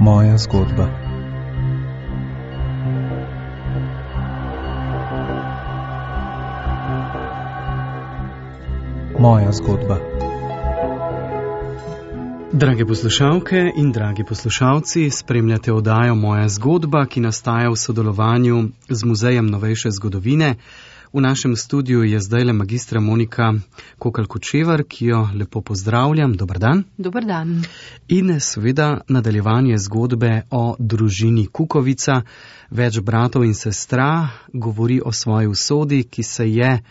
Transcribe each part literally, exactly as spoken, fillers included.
Moja zgodba. Moja zgodba. Drage poslušalke in dragi poslušalci, spremljate oddajo Moja zgodba, ki nastaja v sodelovanju z Muzejem novejše zgodovine. V našem studiu je zdajle magistra Monika Kokalj-Kočevar, ki jo lepo pozdravljam. Dobar dan. Dobar dan. In seveda nadaljevanje zgodbe o družini Kukovica. Več bratov in sestra govori o svoji usodi, ki se je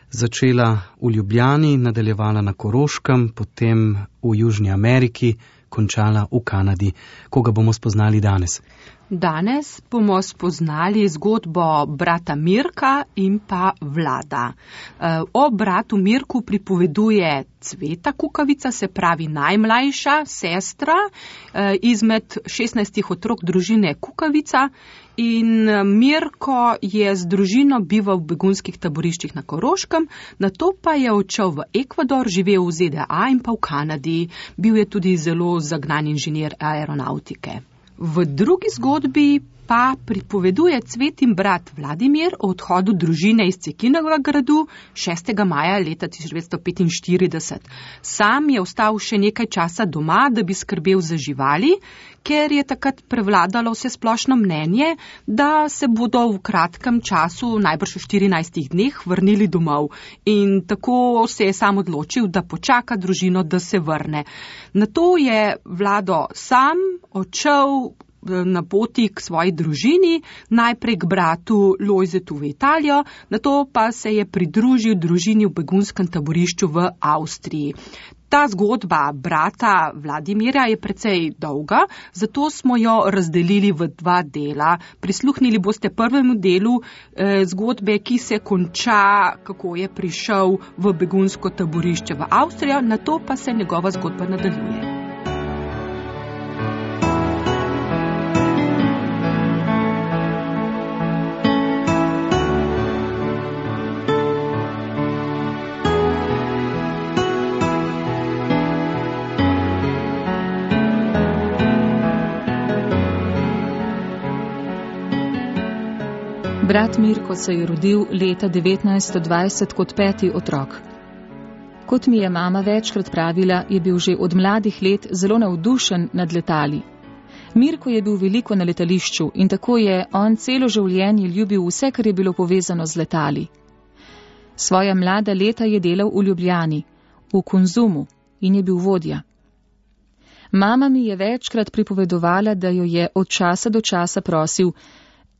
začela v Ljubljani, nadaljevala na Koroškem, potem v Južni Ameriki, končala v Kanadi. Koga bomo spoznali danes? Danes bomo spoznali zgodbo brata Mirka in pa Vlada. O bratu Mirku pripoveduje Cveta Kukovica, se pravi najmlajša sestra izmed šestnajstih otrok družine Kukovica. In Mirko je z družino bival v begunskih taboriščih na Koroškem, nato pa je odšel v Ekvador, živel v Z D A in pa v Kanadi. Bil je tudi zelo zagnan inženir aeronautike. V drugi zgodbi pa pripoveduje Cvetin brat Vladimir o odhodu družine iz Cekinovega gradu šestega maja leta tisoč devetsto petinštirideset. Sam je ostal še nekaj časa doma, da bi skrbel za živali, ker je takrat prevladalo vse splošno mnenje, da se bodo v kratkem času, najbrž v štirinajstih dneh, vrnili domov. In tako se je sam odločil, da počaka družino, da se vrne. Nato je Vlado sam odšel na poti k svoji družini, najprej k bratu Lojzetu v Italijo, nato pa se je pridružil družini v begunskem taborišču v Avstriji. Ta zgodba brata Vladimirja je precej dolga, zato smo jo razdelili v dva dela. Prisluhnili boste prvemu delu eh, zgodbe, ki se konča, kako je prišel v begunsko taborišče v Avstrijo, nato pa se njegova zgodba nadaljuje. Brat Mirko se je rodil leta devetnajststo dvajset kot peti otrok. Kot mi je mama večkrat pravila, je bil že od mladih let zelo navdušen nad letali. Mirko je bil veliko na letališču in tako je on celo življenje ljubil vse, kar je bilo povezano z letali. Svoja mlada leta je delal v Ljubljani, v Konzumu in je bil vodja. Mama mi je večkrat pripovedovala, da jo je od časa do časa prosil: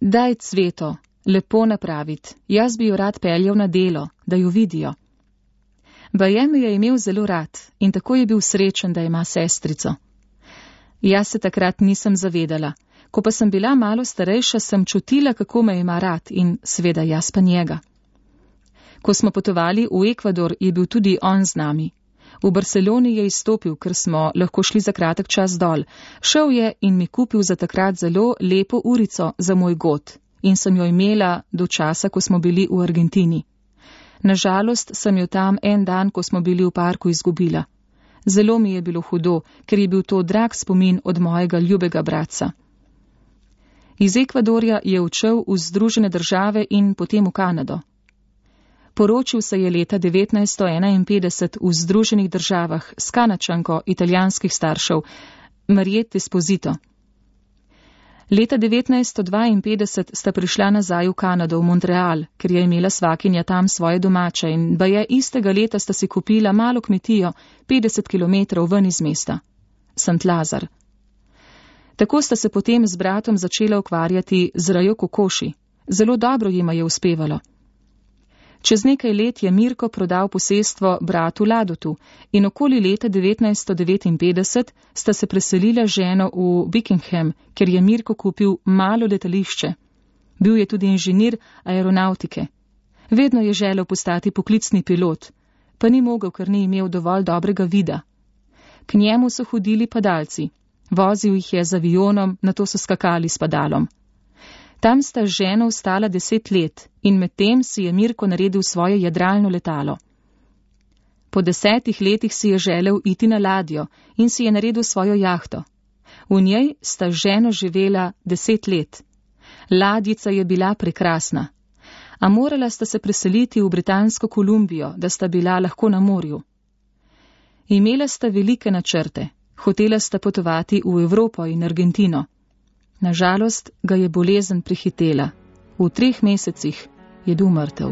daj Cveto, lepo napraviti, jaz bi jo rad peljal na delo, da jo vidijo. Baje mi je imel zelo rad in tako je bil srečen, da ima sestrico. Jaz se takrat nisem zavedala. Ko pa sem bila malo starejša, sem čutila, kako me ima rad in seveda jaz pa njega. Ko smo potovali v Ekvador, je bil tudi on z nami. V Barceloni je izstopil, ker smo lahko šli za kratek čas dol. Šel je in mi kupil za takrat zelo lepo urico za moj god in sem jo imela do časa, ko smo bili v Argentini. Nažalost sem jo tam en dan, ko smo bili v parku, izgubila. Zelo mi je bilo hudo, ker je bil to drag spomin od mojega ljubega bratca. Iz Ekvadorja je odšel v Združene države in potem v Kanado. Poročil se je leta devetnajststo enainpetdeset v Združenih državah s Kanačanko italijanskih staršev, Mariette Esposito. Leta devetnajststo dvainpetdeset sta prišla nazaj v Kanado, v Montreal, ker je imela svakinja tam svoje domače in baje istega leta sta si kupila malo kmetijo petdeset kilometrov ven iz mesta, Saint Lazar. Tako sta se potem z bratom začela ukvarjati z rejo kokoši. Zelo dobro jima je uspevalo. Čez nekaj let je Mirko prodal posestvo bratu Ladotu in okoli leta devetnajststo devetinpetdeset sta se preselila ženo v Buckingham, ker je Mirko kupil malo letališče. Bil je tudi inženir aeronautike. Vedno je želel postati poklicni pilot, pa ni mogel, ker ni imel dovolj dobrega vida. K njemu so hodili padalci. Vozil jih je z avionom, nato so skakali s padalom. Tam sta z ženo ostala deset let in medtem si je Mirko naredil svoje jadralno letalo. Po desetih letih si je želel iti na ladjo in si je naredil svojo jahto. V njej sta z ženo živela deset let. Ladjica je bila prekrasna, a morala sta se preseliti v Britansko Kolumbijo, da sta bila lahko na morju. Imela sta velike načrte, hotela sta potovati v Evropo in Argentino. Nažalost ga je bolezen prehitela. V treh mesecih je bil mrtev.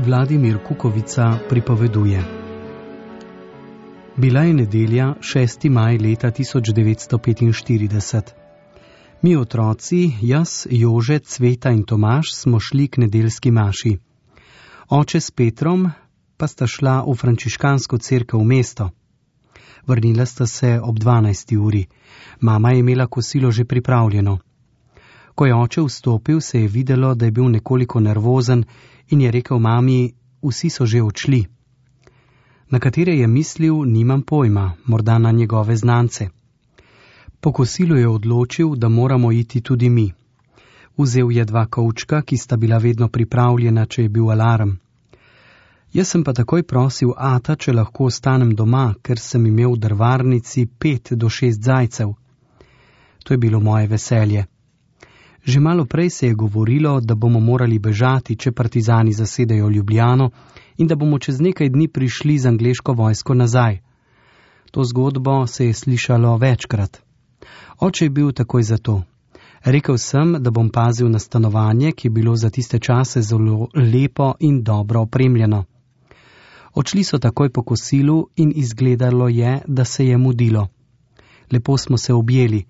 Vladimir Kukovica pripoveduje. Bila je nedelja, šesti maj leta tisoč devetsto petinštirideset. Mi otroci, jaz, Jože, Cveta in Tomaž smo šli k nedeljski maši. Oče s Petrom pa sta šla v frančiškansko cerkev v mesto. Vrnila sta se ob dvanajsti uri. Mama je imela kosilo že pripravljeno. Ko je oče vstopil, se je videlo, da je bil nekoliko nervozen in je rekel mami, vsi so že odšli. Na katere je mislil, nimam pojma, morda na njegove znance. Po kosilu je odločil, da moramo iti tudi mi. Vzel je dva kovčka, ki sta bila vedno pripravljena, če je bil alarm. Jaz sem pa takoj prosil ata, če lahko ostanem doma, ker sem imel v drvarnici pet do šest zajcev. To je bilo moje veselje. Že malo prej se je govorilo, da bomo morali bežati, če partizani zasedajo Ljubljano in da bomo čez nekaj dni prišli z angleško vojsko nazaj. To zgodbo se je slišalo večkrat. Oče je bil takoj za to. Rekel sem, da bom pazil na stanovanje, ki je bilo za tiste čase zelo lepo in dobro opremljeno. Odšli so takoj po kosilu in izgledalo je, da se je mudilo. Lepo smo se objeli.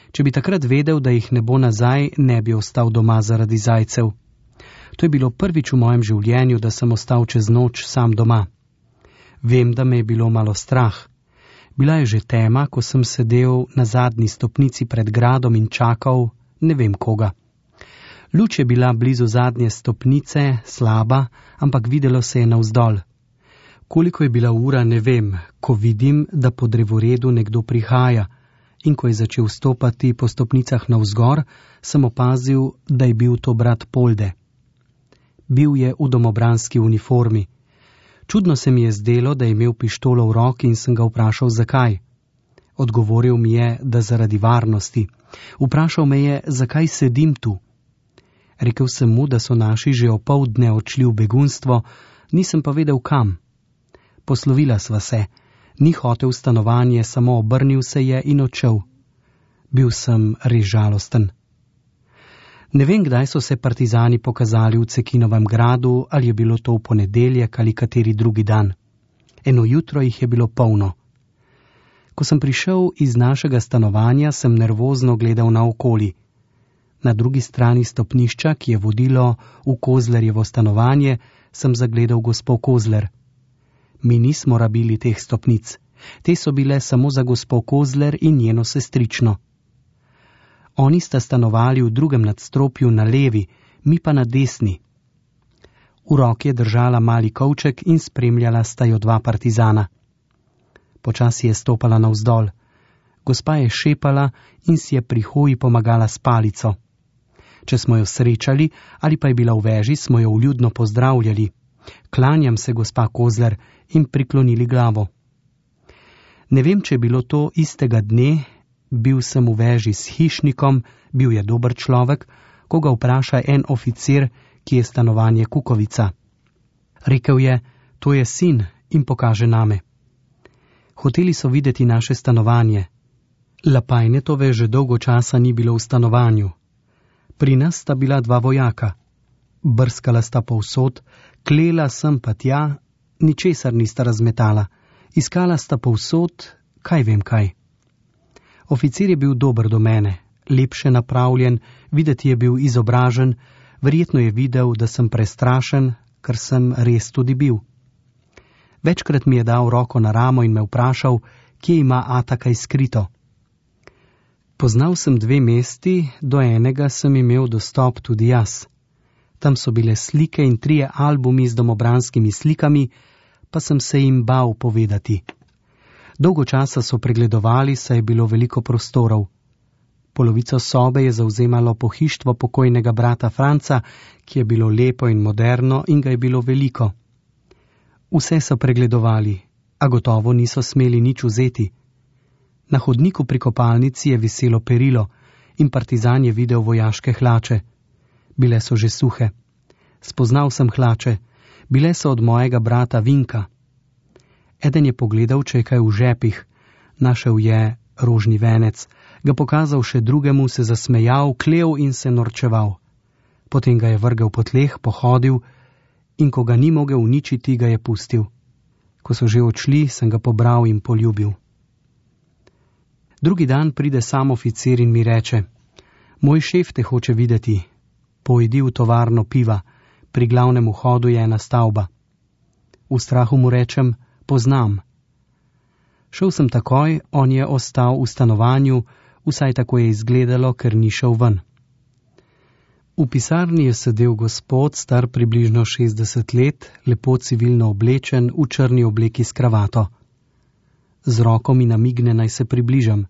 Če bi takrat vedel, da jih ne bo nazaj, ne bi ostal doma zaradi zajcev. To je bilo prvič v mojem življenju, da sem ostal čez noč sam doma. Vem, da me je bilo malo strah. Bila je že tema, ko sem sedel na zadnji stopnici pred gradom in čakal, ne vem koga. Luč je bila blizu zadnje stopnice, slaba, ampak videlo se je navzdol. Koliko je bila ura, ne vem, ko vidim, da po drevoredu nekdo prihaja. In ko je začel stopati po stopnicah navzgor, sem opazil, da je bil to brat Polde. Bil je v domobranski uniformi. Čudno se mi je zdelo, da je imel pištolo v roki in sem ga vprašal, zakaj. Odgovoril mi je, da zaradi varnosti. Vprašal me je, zakaj sedim tu. Rekel sem mu, da so naši že opoldne odšli v begunstvo, nisem pa vedel kam. Poslovila sva se. Ni hotel stanovanje, samo obrnil se je in odšel. Bil sem res žalosten. Ne vem, kdaj so se partizani pokazali v Cekinovem gradu, ali je bilo to v ponedeljek ali kateri drugi dan. Eno jutro jih je bilo polno. Ko sem prišel iz našega stanovanja, sem nervozno gledal naokoli. Na drugi strani stopnišča, ki je vodilo v Kozlerjevo stanovanje, sem zagledal gospo Kozler. Mi nismo rabili teh stopnic. Te so bile samo za gospo Kozler in njeno sestrično. Oni sta stanovali v drugem nadstropju na levi, mi pa na desni. V roki je držala mali kovček in spremljala sta jo dva partizana. Počasi je stopala navzdol. Gospa je šepala in si je pri hoji pomagala s palico. Če smo jo srečali ali pa je bila v veži, smo jo vljudno pozdravljali. Klanjam se, gospa Kozler, in priklonili glavo. Ne vem, če je bilo to istega dne, bil sem v veži s hišnikom, bil je dober človek, ko ga vpraša en oficir, ki je stanovanje Kukovica. Rekel je, to je sin, in pokaže name. Hoteli so videti naše stanovanje. Lapajnetove že dolgo časa ni bilo v stanovanju. Pri nas sta bila dva vojaka. Brskala sta povsod, klela sem pa tja, ničesar nista razmetala. Iskala sta povsod, kaj vem kaj. Oficir je bil dober do mene, lepše napravljen, videti je bil izobražen, verjetno je videl, da sem prestrašen, ker sem res tudi bil. Večkrat mi je dal roko na ramo in me vprašal, kje ima ata kaj skrito. Poznal sem dve mesti, do enega sem imel dostop tudi jaz. Tam so bile slike in trije albumi z domobranskimi slikami, pa sem se jim bal povedati. Dolgo časa so pregledovali, saj je bilo veliko prostorov. Polovico sobe je zauzemalo pohištvo pokojnega brata Franca, ki je bilo lepo in moderno in ga je bilo veliko. Vse so pregledovali, a gotovo niso smeli nič vzeti. Na hodniku pri kopalnici je viselo perilo in partizan je videl vojaške hlače. Bile so že suhe. Spoznal sem hlače, bile so od mojega brata Vinka. Eden je pogledal, če je kaj v žepih, našel je rožni venec, ga pokazal še drugemu, se zasmejal, klev in se norčeval. Potem ga je vrgel po tleh, pohodil in ko ga ni mogel uničiti, ga je pustil. Ko so že odšli, sem ga pobral in poljubil. Drugi dan pride sam oficir in mi reče: Moj šef te hoče videti. Pojdi v tovarno piva, pri glavnem vhodu je ena stavba. V strahu mu rečem: Poznam. Šel sem takoj, on je ostal v stanovanju, vsaj tako je izgledalo, ker ni šel ven. V pisarni je sedel gospod, star približno šestdeset let, lepo civilno oblečen, v črni obleki s kravato. Z roko mi namigne, naj se približam.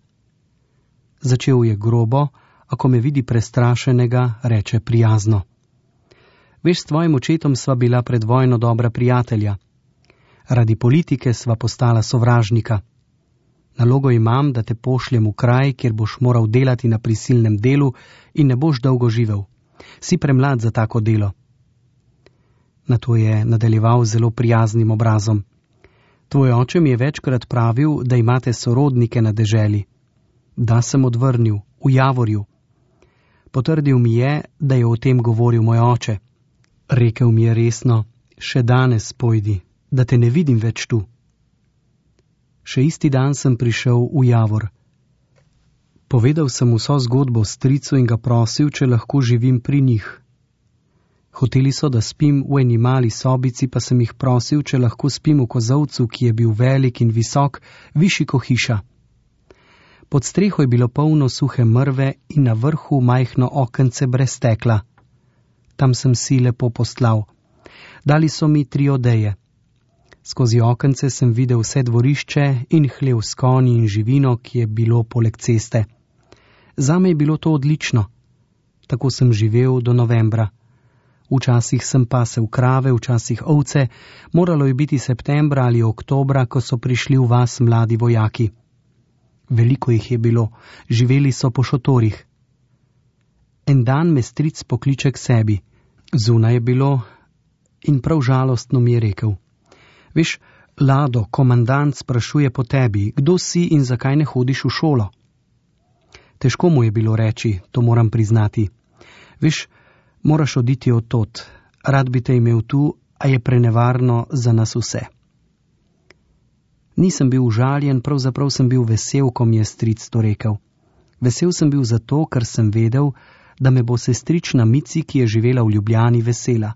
Začel je grobo, a ko me vidi prestrašenega, reče prijazno: Veš, s tvojim očetom sva bila pred vojno dobra prijatelja. Radi politike sva postala sovražnika. Nalogo imam, da te pošljem v kraj, kjer boš moral delati na prisilnem delu in ne boš dolgo živel. Si premlad za tako delo. Nato je nadaljeval zelo prijaznim obrazom. Tvoj oče mi je večkrat pravil, da imate sorodnike na deželi. Da sem odvrnil, v Javorju. Potrdil mi je, da je o tem govoril moj oče. Rekel mi je resno: Še danes pojdi, da te ne vidim več tu. Še isti dan sem prišel v Javor. Povedal sem vso zgodbo stricu in ga prosil, če lahko živim pri njih. Hoteli so, da spim v eni mali sobici, pa sem jih prosil, če lahko spim v kozolcu, ki je bil velik in visok, višji ko hiša. Pod streho je bilo polno suhe mrve in na vrhu majhno okence brez stekla. Tam sem si lepo postlal. Dali so mi tri odeje. Skozi okence sem videl vse dvorišče in hlev s konji in živino, ki je bilo poleg ceste. Zame je bilo to odlično. Tako sem živel do novembra. Včasih sem pasel krave, včasih ovce, moralo je biti septembra ali oktobra, ko so prišli v vas mladi vojaki. Veliko jih je bilo, živeli so po šotorih. En dan me stric pokliče k sebi. Zunaj je bilo in prav žalostno mi je rekel: Veš, Lado, komandant sprašuje po tebi, kdo si in zakaj ne hodiš v šolo. Težko mu je bilo reči, to moram priznati. Veš, moraš oditi od tod, rad bi te imel tu, a je prenevarno za nas vse. Nisem bil užaljen, pravzaprav sem bil vesel, ko mi je stric to rekel. Vesel sem bil zato, ker sem vedel, da me bo sestrična Mici, ki je živela v Ljubljani, vesela.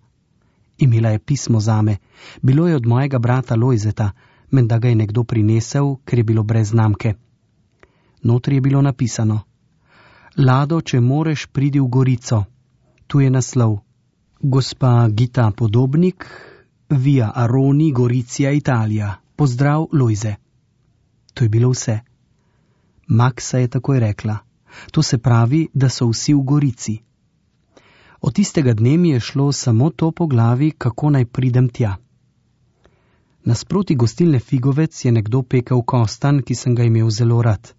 Imela je pismo zame, bilo je od mojega brata Lojzeta, menda ga je nekdo prinesel, ker je bilo brez znamke. Notri je bilo napisano: Lado, če moreš, pridi v Gorico. Tu je naslov: Gospa Gita Podobnik, Via Aroni, Goricija, Italija. Pozdrav, Lojze. To je bilo vse. Maksa je takoj rekla: To se pravi, da so vsi v Gorici. Od tistega dne mi je šlo samo to po glavi, kako naj pridem tja. Nasproti gostilne Figovec je nekdo pekel kostan, ki sem ga imel zelo rad.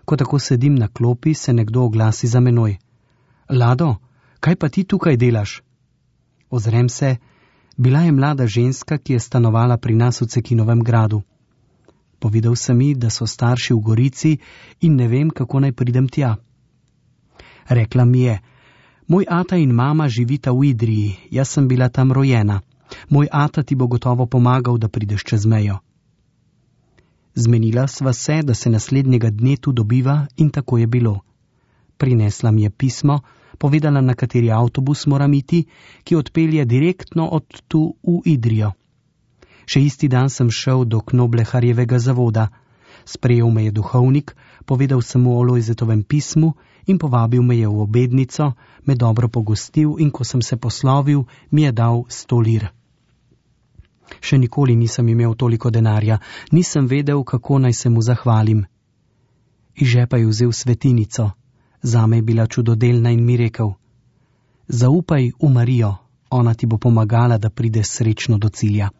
Ko tako sedim na klopi, se nekdo oglasi za menoj: Lado, kaj pa ti tukaj delaš? Ozrem se, bila je mlada ženska, ki je stanovala pri nas v Cekinovem gradu. Povedal sem mi, da so starši v Gorici in ne vem, kako naj pridem tja. Rekla mi je: Moj ata in mama živita v Idriji, jaz sem bila tam rojena. Moj ata ti bo gotovo pomagal, da prideš čez mejo. Zmenila sva se, da se naslednjega dne tu dobiva in tako je bilo. Prinesla mi je pismo, povedala, na kateri avtobus moram iti, ki odpelje direktno od tu v Idrijo. Še isti dan sem šel do Knobleharjevega zavoda. Sprejel me je duhovnik, povedal sem mu o Lojzetovem pismu in povabil me je v obednico, me dobro pogostil in ko sem se poslovil, mi je dal sto lir. Še nikoli nisem imel toliko denarja, nisem vedel, kako naj se mu zahvalim. Iz žepa je vzel svetinico, zame je bila čudodelna in mi rekel: zaupaj v Marijo, ona ti bo pomagala, da prideš srečno do cilja.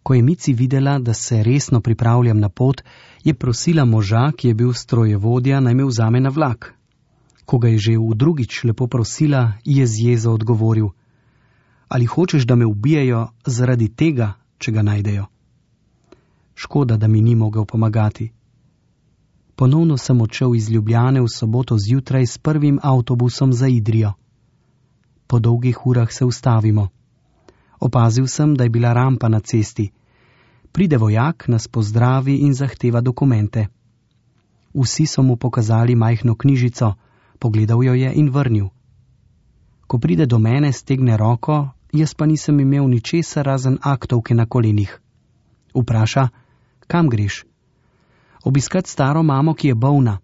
Ko je Mici videla, da se resno pripravljam na pot, je prosila moža, ki je bil strojevodja, naj me vzame na vlak. Ko ga je že v drugič lepo prosila, je z jezo odgovoril: ali hočeš, da me ubijejo zaradi tega, če ga najdejo? Škoda, da mi ni mogel pomagati. Ponovno sem odšel iz Ljubljane v soboto zjutraj s prvim avtobusom za Idrijo. Po dolgih urah se ustavimo. Opazil sem, da je bila rampa na cesti. Pride vojak, nas pozdravi in zahteva dokumente. Vsi so mu pokazali majhno knjižico, pogledal jo je in vrnil. Ko pride do mene, stegne roko, jaz pa nisem imel ničesar razen aktovke na kolenih. Vpraša: kam greš? Obiskat staro mamo, ki je bolna.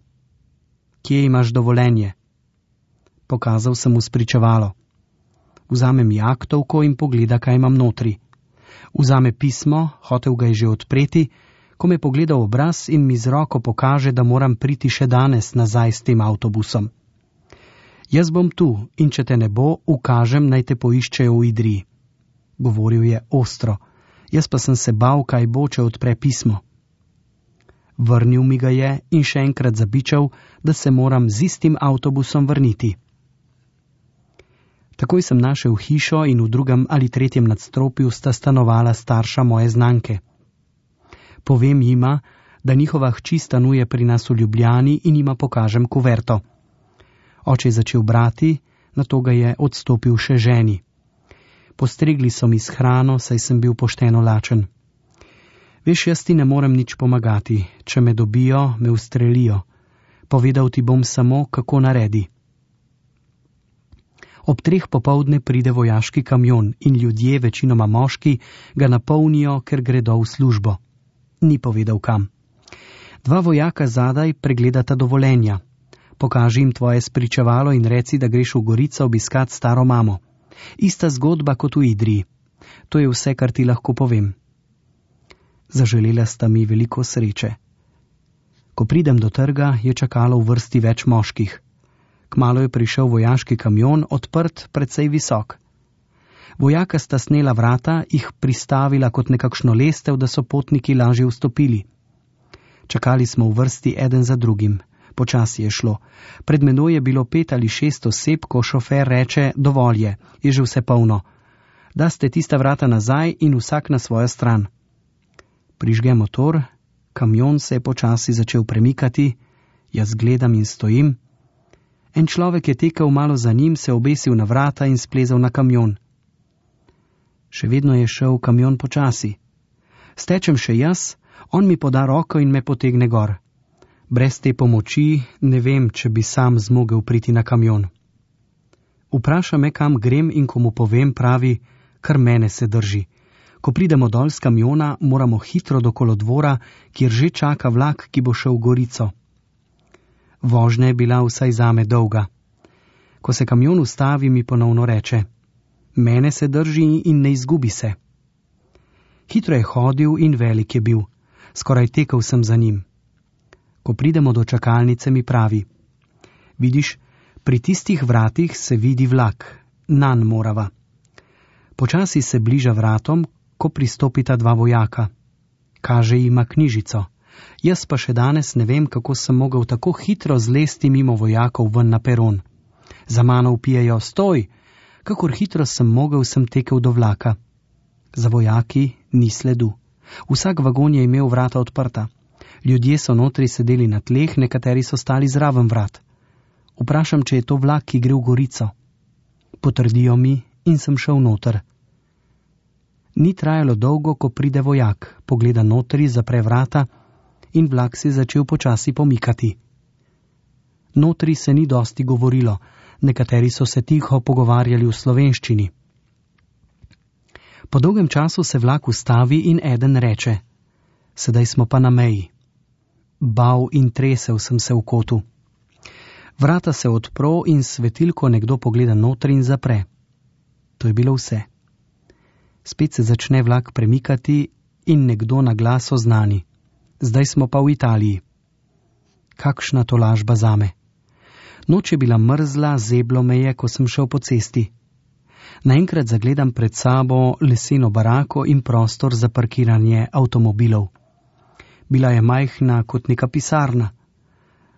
Kje imaš dovoljenje? Pokazal sem mu spričevalo. Vzame mi aktovko in pogleda, kaj imam notri. Vzame pismo, hotel ga je že odpreti, ko me pogleda v obraz in mi z roko pokaže, da moram priti še danes nazaj s tem avtobusom. Jaz bom tu in če te ne bo, ukažem, naj te poiščejo v Idriji. Govoril je ostro, jaz pa sem se bal, kaj bo, če odpre pismo. Vrnil mi ga je in še enkrat zabičal, da se moram z istim avtobusom vrniti. Takoj sem našel hišo in v drugem ali tretjem nadstropju sta stanovala starša moje znanke. Povem jima, da njihova hči stanuje pri nas v Ljubljani in jima pokažem kuverto. Oče je začel brati, nato ga je odstopil še ženi. Postregli so mi s hrano, saj sem bil pošteno lačen. Veš, jaz ti ne morem nič pomagati, če me dobijo, me ustrelijo. Povedal ti bom samo, kako naredi. Ob treh popovdne pride vojaški kamion in ljudje, večinoma moški, ga napolnijo, ker gredo v službo. Ni povedal kam. Dva vojaka zadaj pregledata dovoljenja. Pokaži jim tvoje spričevalo in reci, da greš v Gorico obiskat staro mamo. Ista zgodba kot v Idriji. To je vse, kar ti lahko povem. Zaželela sta mi veliko sreče. Ko pridem do trga, je čakalo v vrsti več moških. Kmalu je prišel vojaški kamion, odprt, precej visok. Vojaka sta snela vrata, jih pristavila kot nekakšno lestev, da so potniki lažje vstopili. Čakali smo v vrsti eden za drugim. Počasi je šlo. Pred menoj je bilo pet ali šest oseb, ko šofer reče: dovolj je, je že vse polno. Da ste tista vrata nazaj in vsak na svojo stran. Prižge motor, kamion se je počasi začel premikati, jaz gledam in stojim. En človek je tekel malo za njim, se obesil na vrata in splezal na kamion. Še vedno je šel kamion počasi. Stečem še jaz, on mi poda roko in me potegne gor. Brez te pomoči ne vem, če bi sam zmogel priti na kamion. Vpraša me, kam grem, in ko mu povem, pravi: kar mene se drži. Ko pridemo dol z kamiona, moramo hitro do kolodvora, kjer že čaka vlak, ki bo šel v Gorico. Vožnja je bila vsaj zame dolga. Ko se kamion ustavi, mi ponovno reče: mene se drži in ne izgubi se. Hitro je hodil in velik je bil. Skoraj tekel sem za njim. Ko pridemo do čakalnice, mi pravi: vidiš, pri tistih vratih se vidi vlak, nanj morava. Počasi se bliža vratom, ko pristopita dva vojaka. Kaže jima knjižico. Jaz pa še danes ne vem, kako sem mogel tako hitro zlesti mimo vojakov ven na peron. Za mano vpijejo: stoj! Kakor hitro sem mogel, sem tekel do vlaka. Za vojaki ni sledu. Vsak vagon je imel vrata odprta. Ljudje so notri sedeli na tleh, nekateri so stali zraven vrat. Vprašam, če je to vlak, ki gre v Gorico. Potrdijo mi in sem šel noter. Ni trajalo dolgo, ko pride vojak, pogleda notri, zapre vrata in vlak se je začel počasi pomikati. Notri se ni dosti govorilo, nekateri so se tiho pogovarjali v slovenščini. Po dolgem času se vlak ustavi in eden reče: Sedaj smo pa na meji. Bav in tresel sem se v kotu. Vrata se odpro in svetilko nekdo pogleda notri in zapre. To je bilo vse. Spet se začne vlak premikati in nekdo na glas oznani. Zdaj smo pa v Italiji. Kakšna tolažba zame. Noč je bila mrzla, zeblo me je, ko sem šel po cesti. Naenkrat zagledam pred sabo leseno barako in prostor za parkiranje avtomobilov. Bila je majhna kot neka pisarna.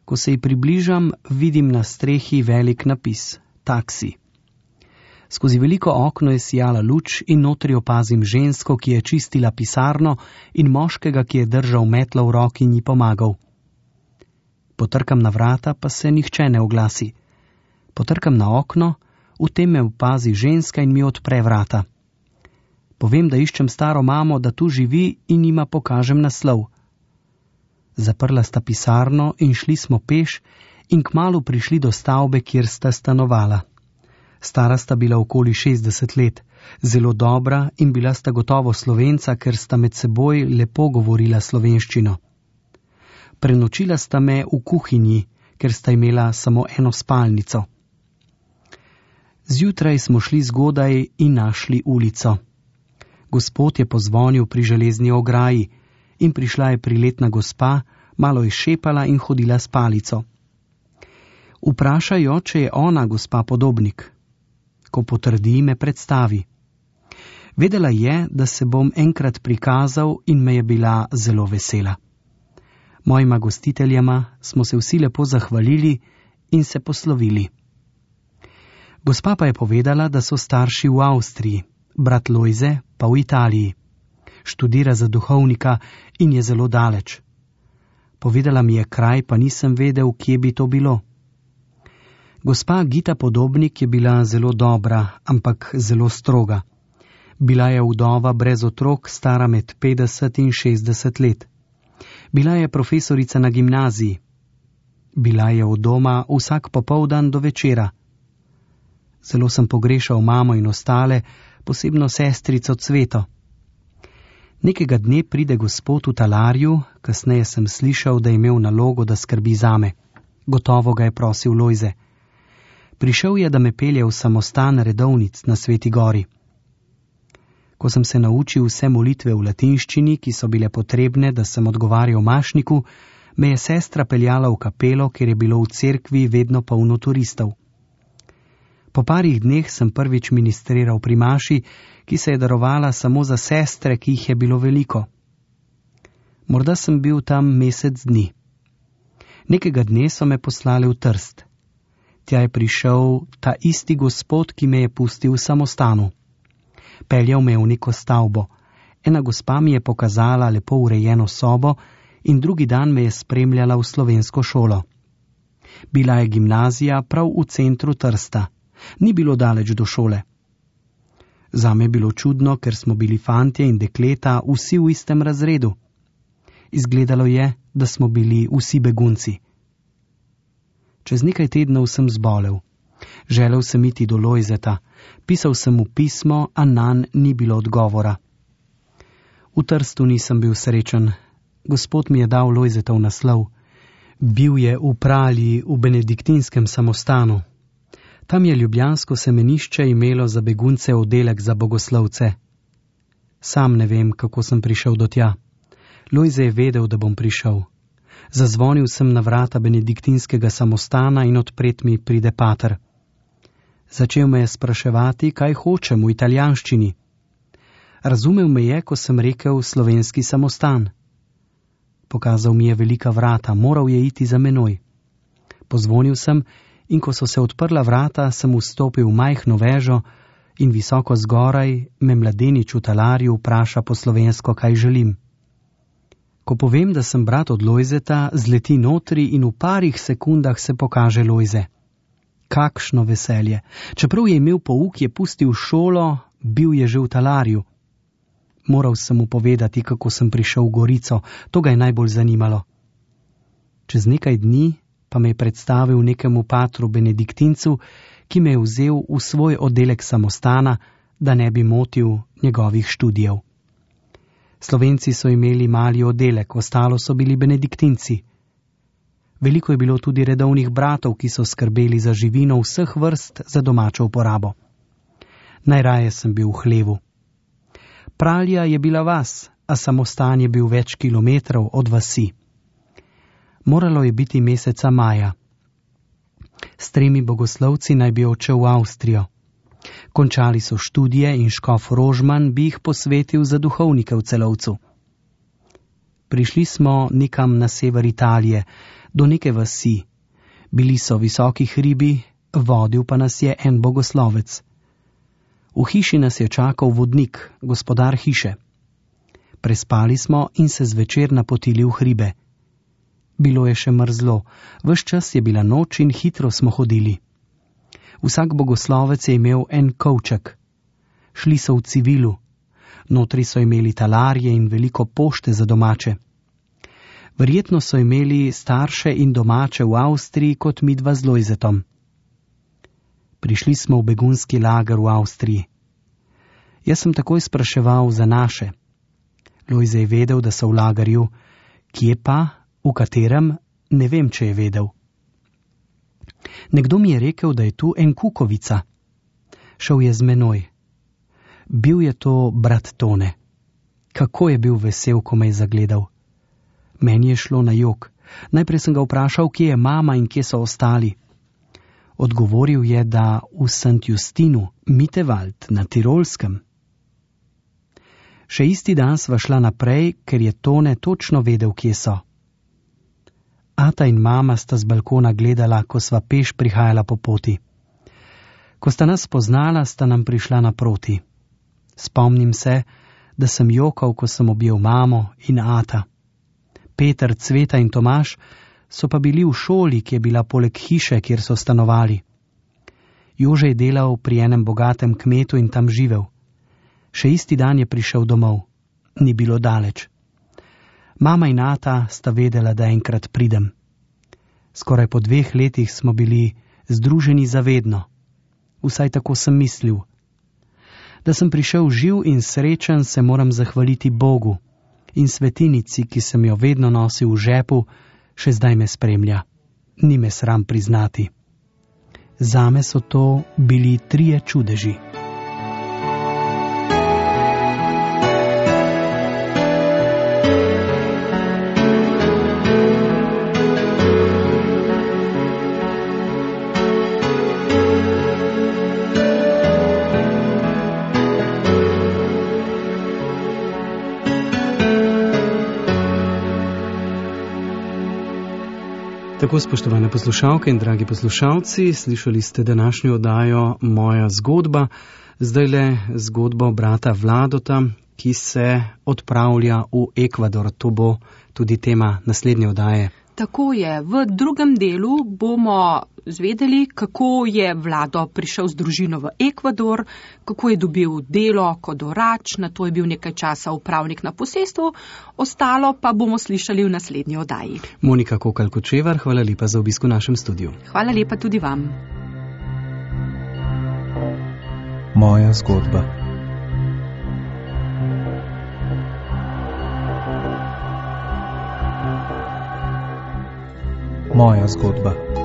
Ko se ji približam, vidim na strehi velik napis – taksi. Skozi veliko okno je sijala luč in notri opazim žensko, ki je čistila pisarno, in moškega, ki je držal metlo v roki in ji pomagal. Potrkam na vrata, pa se nihče ne oglasi. Potrkam na okno, v tem me opazi ženska in mi odpre vrata. Povem, da iščem staro mamo, da tu živi, in jima pokažem naslov. Zaprla sta pisarno in šli smo peš in kmalu prišli do stavbe, kjer sta stanovala. Stara sta bila okoli šestdeset let, zelo dobra in bila sta gotovo Slovenca, ker sta med seboj lepo govorila slovenščino. Prenočila sta me v kuhinji, ker sta imela samo eno spalnico. Zjutraj smo šli zgodaj in našli ulico. Gospod je pozvonil pri železni ograji in prišla je priletna gospa, malo je šepala in hodila s palico. Vprašajo, če je ona gospa Podobnik. Ko potrdi, me predstavi. Vedela je, da se bom enkrat prikazal in me je bila zelo vesela. Mojima gostiteljama smo se vsi lepo zahvalili in se poslovili. Gospa pa je povedala, da so starši v Avstriji, brat Lojze pa v Italiji. Študira za duhovnika in je zelo daleč. Povedala mi je kraj, pa nisem vedel, kje bi to bilo. Gospa Gita Podobnik je bila zelo dobra, ampak zelo stroga. Bila je vdova brez otrok, stara med petdeset in šestdeset let. Bila je profesorica na gimnaziji. Bila je od doma vsak popoldan do večera. Zelo sem pogrešal mamo in ostale, posebno sestrico Cveto. Nekega dne pride gospod v talarju, kasneje sem slišal, da je imel nalogo, da skrbi zame. Gotovo ga je prosil Lojze. Prišel je, da me pelje v samostan redovnic na Sveti gori. Ko sem se naučil vse molitve v latinščini, ki so bile potrebne, da sem odgovarjal mašniku, me je sestra peljala v kapelo, kjer je bilo v cerkvi vedno polno turistov. Po parih dneh sem prvič ministriral pri maši, ki se je darovala samo za sestre, ki jih je bilo veliko. Morda sem bil tam mesec dni. Nekega dne so me poslali v Trst. Tja je prišel ta isti gospod, ki me je pustil v samostanu. Peljal me v neko stavbo. Ena gospa mi je pokazala lepo urejeno sobo in drugi dan me je spremljala v slovensko šolo. Bila je gimnazija prav v centru Trsta. Ni bilo daleč do šole. Zame je bilo čudno, ker smo bili fantje in dekleta vsi v istem razredu. Izgledalo je, da smo bili vsi begunci. Čez nekaj tednov sem zbolel. Želel sem iti do Lojzeta. Pisal sem mu pismo, a nanj ni bilo odgovora. V Trstu nisem bil srečen. Gospod mi je dal Lojzetov naslov. Bil je v Pralji v benediktinskem samostanu. Tam je ljubljansko semenišče imelo za begunce oddelek za bogoslovce. Sam ne vem, kako sem prišel do tja. Lojze je vedel, da bom prišel. Zazvonil sem na vrata benediktinskega samostana in odpret mi pride pater. Začel me je spraševati, kaj hočem v italijanščini. Razumel me je, ko sem rekel slovenski samostan. Pokazal mi je velika vrata, moral je iti za menoj. Pozvonil sem in ko so se odprla vrata, sem vstopil v majhno vežo in visoko zgoraj me mladenič v talarju vpraša po slovensko, kaj želim. Ko povem, da sem brat od Lojzeta, zleti notri in v parih sekundah se pokaže Lojze. Kakšno veselje! Čeprav je imel pouk, je pustil šolo, bil je že v talarju. Moral sem mu povedati, kako sem prišel v Gorico, to ga je najbolj zanimalo. Čez nekaj dni pa me je predstavil nekemu patru benediktincu, ki me je vzel v svoj oddelek samostana, da ne bi motil njegovih študijev. Slovenci so imeli mali oddelek, ostalo so bili benediktinci. Veliko je bilo tudi redovnih bratov, ki so skrbeli za živino vseh vrst za domačo uporabo. Najraje sem bil v hlevu. Pralja je bila vas, a samostan je bil več kilometrov od vasi. Moralo je biti meseca maja. S tremi bogoslovci naj bi odšel v Avstrijo. Končali so študije in škof Rožman bi jih posvetil za duhovnike v Celovcu. Prišli smo nekam na sever Italije, do neke vasi. Bili so visoki hribi, vodil pa nas je en bogoslovec. V hiši nas je čakal vodnik, gospodar hiše. Prespali smo in se zvečer napotili v hribe. Bilo je še mrzlo, ves čas je bila noč in hitro smo hodili. Vsak bogoslovec je imel en kovček. Šli so v civilu. Notri so imeli talarje in veliko pošte za domače. Verjetno so imeli starše in domače v Avstriji kot midva z Lojzetom. Prišli smo v begunski lager v Avstriji. Jaz sem takoj spraševal za naše. Lojze je vedel, da so v lagerju, kje pa, v katerem, ne vem, če je vedel. Nekdo mi je rekel, da je tu en Kukovica. Šel je z menoj. Bil je to brat Tone. Kako je bil vesel, ko me je zagledal. Meni je šlo na jok. Najprej sem ga vprašal, kje je mama in kje so ostali. Odgovoril je, da v Sankt Justinu, Mitewald, na Tirolskem. Še isti dan sva šla naprej, ker je Tone točno vedel, kje so. Ata in mama sta z balkona gledala, ko sva peš prihajala po poti. Ko sta nas spoznala, sta nam prišla naproti. Spomnim se, da sem jokal, ko sem objel mamo in ata. Peter, Cveta in Tomaž so pa bili v šoli, ki je bila poleg hiše, kjer so stanovali. Jože je delal pri enem bogatem kmetu in tam živel. Še isti dan je prišel domov. Ni bilo daleč. Mama in ata sta vedela, da enkrat pridem. Skoraj po dveh letih smo bili združeni zavedno. Vsaj tako sem mislil. Da sem prišel živ in srečen, se moram zahvaliti Bogu in svetinici, ki sem jo vedno nosil v žepu, še zdaj me spremlja. Ni me sram priznati. Zame so to bili trije čudeži. Tako, spoštovane poslušalke in dragi poslušalci, slišali ste današnjo oddajo Moja zgodba, zdaj le zgodbo brata Vladota, ki se odpravlja v Ekvador. To bo tudi tema naslednje oddaje. Tako je, v drugem delu bomo zvedeli, kako je Vlado prišel z družino v Ekvador, kako je dobil delo kot orač, na to je bil nekaj časa upravnik na posestvu, ostalo pa bomo slišali v naslednji oddaji. Monika Kokal-Kočevar, hvala lepa za obisk v našem studiu. Hvala lepa tudi vam. Moja zgodba. Moja zgodba.